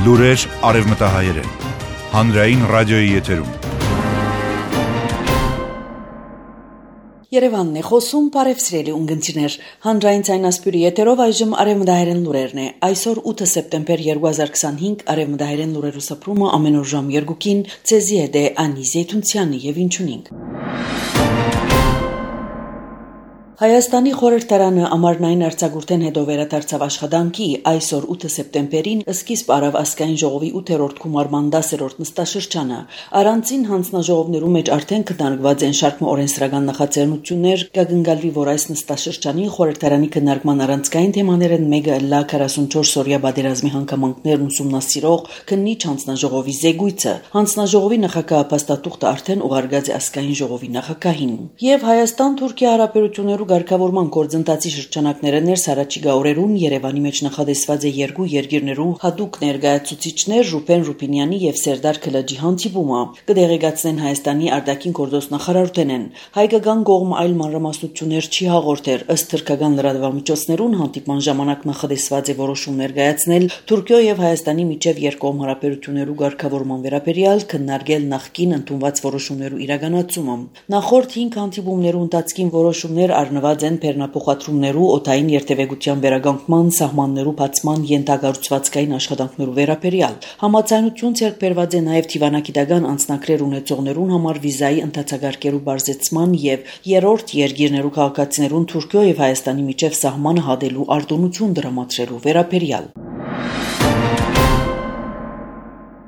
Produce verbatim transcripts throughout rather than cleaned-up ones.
Լուրեր արևմտահայերեն, հանրային ռադիոյի եթերում։ Երևանն է խոսում, բարևսրելի ունգընտիրներ, հանրային ցայնասպյուրի եթերով այժմ արևմտահայերեն լուրերն է։ Այսօր ութ սեպտեմբեր երկու հազար քսանհինգ արևմտահայերեն լուրերու սփռումը ամեն օր ժամ երկուին ցեզի հետ է Անի Զեյթունցյանի եւ ինչունինք։ Հայաստանի խորհրդարանը ամառնային արձակուրդեն հետո վերադարձավ աշխատանքի այսօր ութ սեպտեմբերին սկիզբ արավ ազգային ժողովի ութերորդ գումարման դասերորդ նստաշրջանը առանցին հանձնաժողովներու մեջ արդեն քննարկված են շարք օրենսդրական նախաձեռնություններ կգնգալվի որ այս նստաշրջանին խորհրդարանի քննարկման առանցքային թեմաներն մեկը լա քառասունչորս օրյա բادرազմի հանգամանքներն ուսումնասիրող քննիչ հանձնաժողովի զեկույցը հանձնաժողովի նախագահ փաստաթուղթը արդեն ուղարկած է ազգային ժողովի նախագահին եւ Հայաստան-Թուրքիա հարաբերություններու Գարկավորման գործընթացի շրջանակները ներս առաջիկա օրերուն Երևանի մեջ նախադեсված է երկու երկիրներու հատուկ ներկայացուցիչներ Ռուբեն Ռուբինյանի եւ Սերդար Քլաջի հանդիպումը կդեղեկացնեն Հայաստանի արտաքին գործոստ նախարարութենեն հայկական կողմը այլ մանրամասնություններ չի հաղորդեր ըստ թուրքական լրատվամիջոցներուն հանդիպման ժամանակ նախադեсված է որոշում ներկայացնել Թուրքիո եւ Հայաստանի միջև երկկողմ հարաբերություններու գարկավորման վերաբերյալ քննարկել նախկին ընդունված որոշումներու իրականացումը նախորդ հինգ հանդիպումներու ընթացքին որոշումներ առնված են բեռնափոխադրումներու օդային երթևեկության վերագանքման սահմաններու բացման ենթակառուցվածքային աշխատանքներու վերաբերյալ համաձայնություն ձեռք բերված է նաև դիվանագիտական անձնակրեր ունեցողներուն համար վիզայի ընդհանցագարկերու բարձրացման եւ երրորդ երկիրներու քաղաքացիներուն Թուրքիո եւ Հայաստանի միջև սահմանը հատելու արտոնություն դրամատրելու վերաբերյալ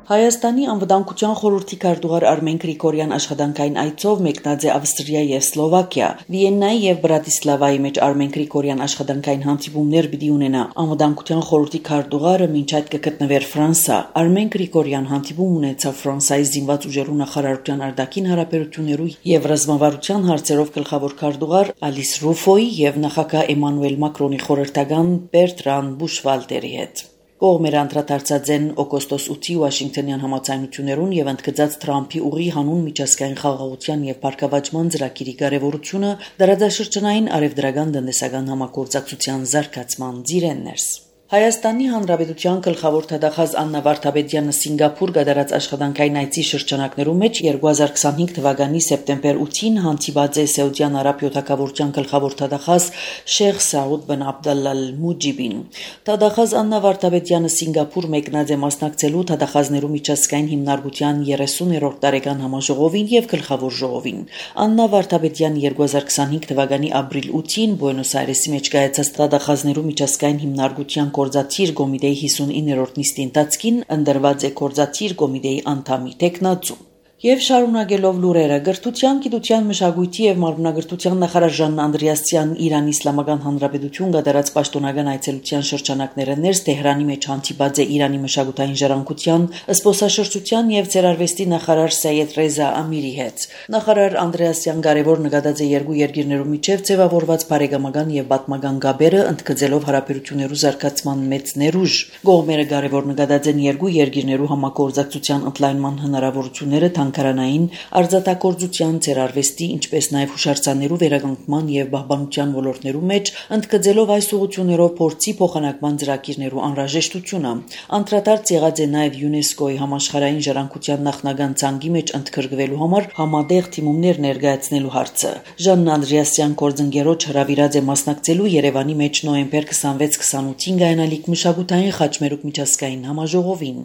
Հայաստանի անվտանգության խորհրդի քարտուղար Արմեն Գրիգորյան աշխատանքային այցով մեկնած է Ավստրիա եւ Սլովակիա Վիեննայի եւ Բրատիսլավայի մեջ Արմեն Գրիգորյան աշխատանքային հանդիպումներ պիտի ունենա անվտանգության խորհրդի քարտուղարը մինչ այդ կգտնվեր Ֆրանսա Արմեն Գրիգորյան հանդիպում ունեցավ Ֆրանսայի զինված ուժերու նախարարության արտաքին հարաբերություններու եւ ռազմավարության հարցերով գլխավոր քարտուղար Ալիս Ռուֆոյի եւ նախագահ Էմանուել Մակրոնի խորհրդական Բերտրան Բուշվալտերի հետ Կողմերը անդրադարձած են օգոստոս ութի Վաշինգտոնյան համաձայնություններուն եւ ընդգծած Թրամփի ուղի հանուն միջազգային խաղաղության եւ բարգավաճման ծրագիրի կարեւորությունը դարաշրջանային արևդրական տնտեսական համագործակցության զարգացման ծիրեններս Հայաստանի Հանրապետության գլխավոր թագախազ Աննա Վարդապետյանը Սինգապուր գդարած աշխատանքային այցի շրջանակներու մեջ երկու հազար քսանհինգ թվականի սեպտեմբեր ութին հանդիպած է Սաուդյան Արաբիոթագավորության գլխավոր թագախազ Շեյխ Սաուդ բն Աբդալլա Մուջիբին Թագախազ Աննա Վարդապետյանը Սինգապուր մեկնած է մասնակցելու թագախազներու միջազգային հիմնարկության երեսուներորդ տարեկան համաժողովին եւ գլխավոր ժողովին Աննա Վարդապետյան երկու հազար քսանհինգ թվականի ապրիլ ութին Բուենոս Այրեսի մեջ կայացած թագախազներու միջազգային հիմնարկության Գործադիր կոմիտեի հիսունիններորդ նիստի ընթացքին ընդրված է Գործադիր կոմիտեի անդամի տեխնացու Եվ շարունակելով լուրերը գրթության, գիտության, մշակույթի եւ մարմնագրթության նախարար Ժան Անդրեասյանն Իրանի Իսլամական Հանրապետություն գդարած պաշտոնական այցելության շրջանակները ներս Թեհրանի մեջ հանդիպած է Իրանի մշակութային ժառանգության, զբոսաշրջության եւ ցերարվեստի նախարար Սայեդ Ռեզա Ամիրի հետ։ Նախարար Անդրեասյան կարևոր նկատած է երկու երկիրներու միջև ձևավորված բարեկամական եւ պատմական գաբերը ընդգծելով հարաբերություններու զարգացման մեծ ներուժ։ Կողմերը կարևոր նկատած են երկու երկիրներու համագործակցության ընդլայնման հնարավորությունները Քարանային արձակագործության ցերարվեստի ինչպես նաև հուշարձաններու վերագանքման եւ պահպանության ոլորտներու մեջ ընդգծելով այս ուղղություններով փորձի փոխանակման ծրագիրներու անհրաժեշտությունը անդրադարձ եղած է նաև ՅՈՒՆԵՍԿՕ-ի համաշխարհային ժառանգության նախնական ցանկի մեջ ընդգրկվելու համար համատեղ թիմումներ ներկայացնելու հարցը Ժան Անդրեասյան կորձընկերոջ հրավիրած է մասնակցելու Երևանի մեջ նոյեմբեր քսանվեց քսանութին գայանալիք մշակութային խաչմերուկ միջազգային համաժողովին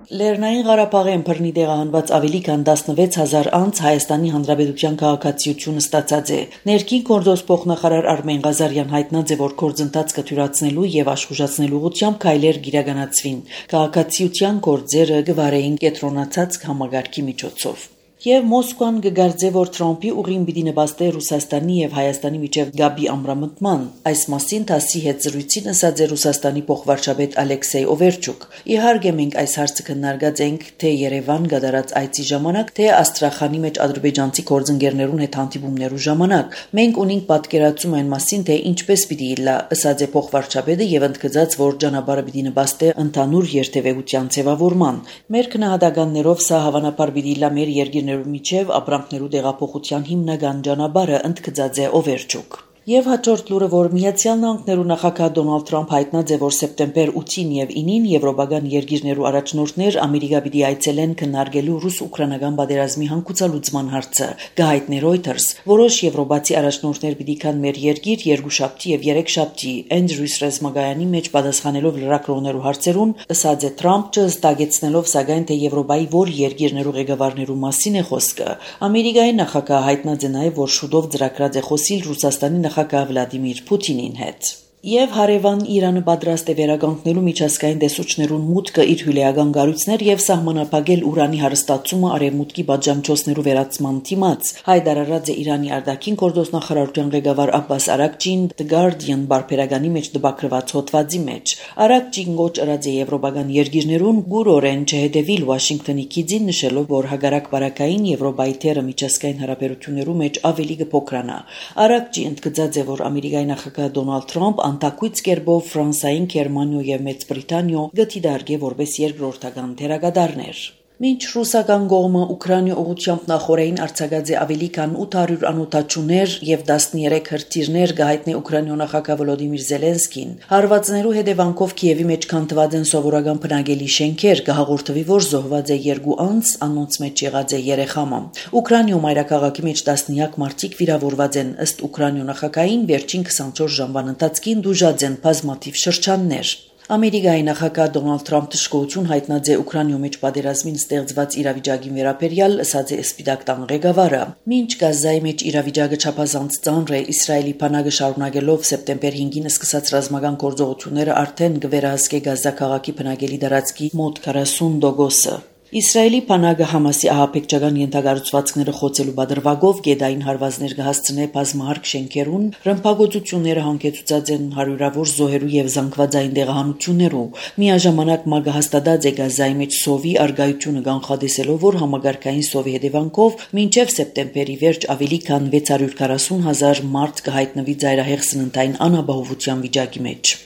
Լեռնային Ղարաբաղեն բռնի տեղահանված ավելի քան տասնվեց հազար անց Հայաստանի Հանրապետության քաղաքացիությունը ստացած է։ Ներքին գործոս փոխնախարար Արմեն Ղազարյան հայտնած է, որ գործընթաց կթյուրացնելու եւ աշխուժացնելու ուղղությամբ քայլեր գիրականացվին։ Քաղաքացիության գործերը գվարեին կենտրոնացած համագարկի միջոցով։ Եվ Մոսկվան կգարձե, որ Թրամփի ուղին պիտի նպաստի Ռուսաստանի եւ Հայաստանի միջև գաբի ամրամտման։ Այս մասին ՏԱՍՍ-ի հետ զրույցին ասաց է Ռուսաստանի փոխվարչապետ Ալեքսեյ Օվերչուկ։ Իհարկե մենք այս հարցը քննարկած ենք թե Երևան գդարած այցի ժամանակ, թե Աստրախանի մեջ ադրբեջանցի գործընկերներուն հետ հանդիպումներու ժամանակ։ Մենք ունենք պատկերացում այն մասին, թե ինչպես պիտի լա, ասաց է փոխվարչապետը եւ ընդգծած, որ ճանապարհը պիտի նպաստի ընդհանուր երթևեկության ձևավորման։ Մեր քննադատականներով սա հավանաբար պիտի լա մեր երկիր միջև ապրանքներու տեղափոխության հիմնական ճանապարհը ընդգծած է Օվերչուկ։ Եվ հաջորդ լուրը, որ Միացյալ Նահանգներու նախագահ Դոնալդ Թրամփ հայտնած է, որ սեպտեմբեր ութին եւ ինին եվրոպական երկիրներու առաջնորդներ Ամերիկա պիտի այցելեն քննարկելու ռուս-ուկրաինական պատերազմի հանգուցալուծման հարցը։ Գահիթներ Reuters որոշ եվրոպացի առաջնորդներ պիտի կան մեր երկիր երկուշաբթի եւ երեքշաբթի Andrews ռազմագայանի մեջ պատասխանելով լրագրողներու հարցերուն, ըսած է Թրամփը ստագեցնելով սակայն թե Եվրոպայի որ երկիրներու ղեկավարներու մասին է խոսքը։ Ամերիկայի նախագահ հայտնած է նաեւ, որ շուտով ծրագրած է խոսիլ Ռուսաստանի նախագահ Վլադիմիր Պուտինին հետ։ Եվ հարևան Իրանը պատրաստ է վերականգնելու միջազգային տեսուչներուն մուտքը իր հյուրեական գառույցներ եւ սահմանափակել ուրանի հարստացումը արևմուտքի պատժամիջոցներու վերացման դիմաց։ Հայտարարած է Իրանի արտաքին գործոստ նախարարության ղեկավար Աբբաս Արաքչին The Guardian բարբերականի մեջ տպագրված հոդվածի մեջ։ Արաքչին գոչ ըրած է եվրոպական երկիրներուն գուրորեն չհետևիլ Վաշինգտոնի քիծին, նշելով, որ հագարակ բարակային Եվրոպայի թերը միջազգային հարաբերություններու մեջ ավելի կփոքրանա։ Արաքչի ընդգծած է, որ Ամերիկայի նախագահ Դոնալդ Թրամփ անտակույց կերպով Ֆրանսիային, Գերմանիո եւ Մեծ Բրիտանիո գտի դարգե որպես երկրորդական թերագադարներ։ Մինչ ռուսական կողմը Ուկրաինա ուղղությամբ նախորդին արձակած է ավելի քան ութ հարյուր անօթաչուներ եւ տասներեք հրթիռներ, գահիտնի Ուկրաինա նախագահ Վոլոդիմիր Զելենսկին, հարվածներու հետևանքով Կիևի մեջ քանդված են սովորական բնակելի շենքեր, կհաղորդվի, որ զոհված է երկու անձ, անոնց մեջ եղած է երեխամը։ Ուկրաինա մայրաքաղաքի մեջ տասնյակ մարդիկ վիրավորված են, ըստ Ուկրաինա նախագահին վերջին քսանչորս ժամվան ընթացքին դուժած են բազմաթիվ շրջաններ։ Ամերիկայի նախագահ Դոնալդ Թրամփը դժգոհություն հայտնած է Ուկրաինայում մեջ պատերազմին ստեղծված իրավիճակին վերաբերյալ, ըսած է Սպիտակ տան ղեկավարը։ Մինչ Գազայի մեջ իրավիճակը չափազանց ծանր է, Իսրայելի բանակը շարունակելով սեպտեմբեր հինգին սկսած ռազմական գործողությունները արդեն կվերահսկե Գազա քաղաքի բնակելի տարածքի մոտ քառասուն տոկոսը։ Իսրայելի բանակը Համասի ահաբեկչական ենթակառուցվածքները խոցելու բادرվագով գեդային հարվածներ կհասցնե բազմահարկ շենքերուն, ռմբակոծությունները հանգեցուցած են հարյուրավոր զոհերու եւ զանգվածային դեղահանություններու։ Միաժամանակ ՄԱԳ-ը հաստատած է Գազայի մեջ սովի արգայությունը կանխատեսելով, որ համագարկային սովի հետևանքով մինչև սեպտեմբերի վերջ ավելի քան վեց հարյուր քառասուն հազար մարդ կհայտնվի ծայրահեղ սննդային անապահովության վիճակի մեջ։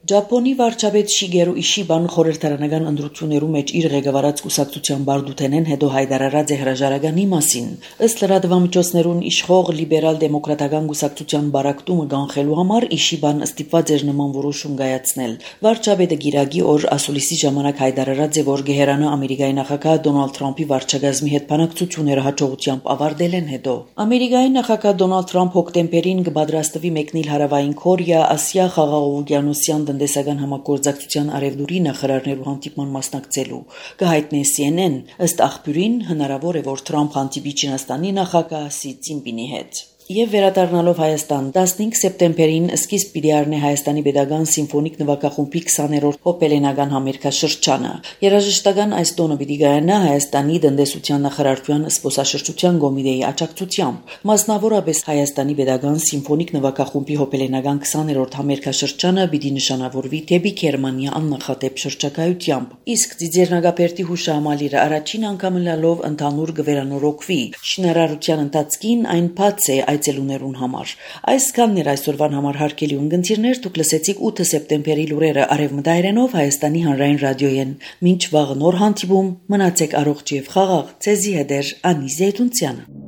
Ճապոնի վարչապետ Շիգերու Իշիբան խորհրդարանական ընտրություններու մեջ իր ղեկավարած կուսակցության բարդութենեն հետո հայտարարած է հրաժարականի մասին։ Ըստ լրատվամիջոցներուն իշխող լիբերալ դեմոկրատական կուսակցության բարակտումը կանխելու համար Իշիբան ստիպված էր նման որոշում կայացնել։ Վարչապետը գիրագի օր ասուլիսի ժամանակ հայտարարած է, որ գեհերանա Ամերիկայի նախագահ Դոնալդ Թրամփի վարչագազմի հետ բանակցությունները հաջողությամբ ավարտել են հետո։ Ամերիկայի նախագահ Դոնալդ Թրամփ հոկտեմբերին կպատրաստվի մեկնել հարավային Կորեա, Ասիա խաղաղօվկիանոսյան տնտեսական համագործակցության արևդուրի նախարարներու հանդիպման մասնակցելու։ Կհայտնի C N N, ըստ աղբյուրին հնարավոր է, որ Թրամփ հանդիպի Չինաստանի նախագահ Սի Ցինպինի հետ։ Եվ վերադառնալով Հայաստան, տասնհինգ սեպտեմբերին սկիզբ պիտի առնի Հայաստանի Պետական Սիմֆոնիկ նվագախումբի քսաներորդ հոպելենական համերգաշրջանը։ Երաժշտական այս տոնը պիտի կայանա Հայաստանի տնտեսության նախարարության զբոսաշրջության կոմիտեի աջակցությամբ։ Մասնավորապես Հայաստանի Պետական Սիմֆոնիկ նվագախումբի հոպելենական քսաներորդ համերգաշրջանը պիտի նշանավորվի դեպի Գերմանիա աննախադեպ շրջակայությամբ։ Իսկ Ձիձեռնագապերտի հուշահամալիրը առաջին անգամ լալով ընդհանուր կվերանորոգվի։ Շինարարության ընթացքին այն բաց է այցելուներուն համար։ Այսքանն էր այսօրվան համար հարգելի ունգընտիրներ, դուք լսեցիք ութ սեպտեմբերի լուրերը արևմտայերենով Հայաստանի հանրային ռադիոյեն։ Մինչ վաղ նոր հանդիպում, մնացեք առողջ եւ խաղաղ, ցեզի հետ Անի Զեյթունցյանը։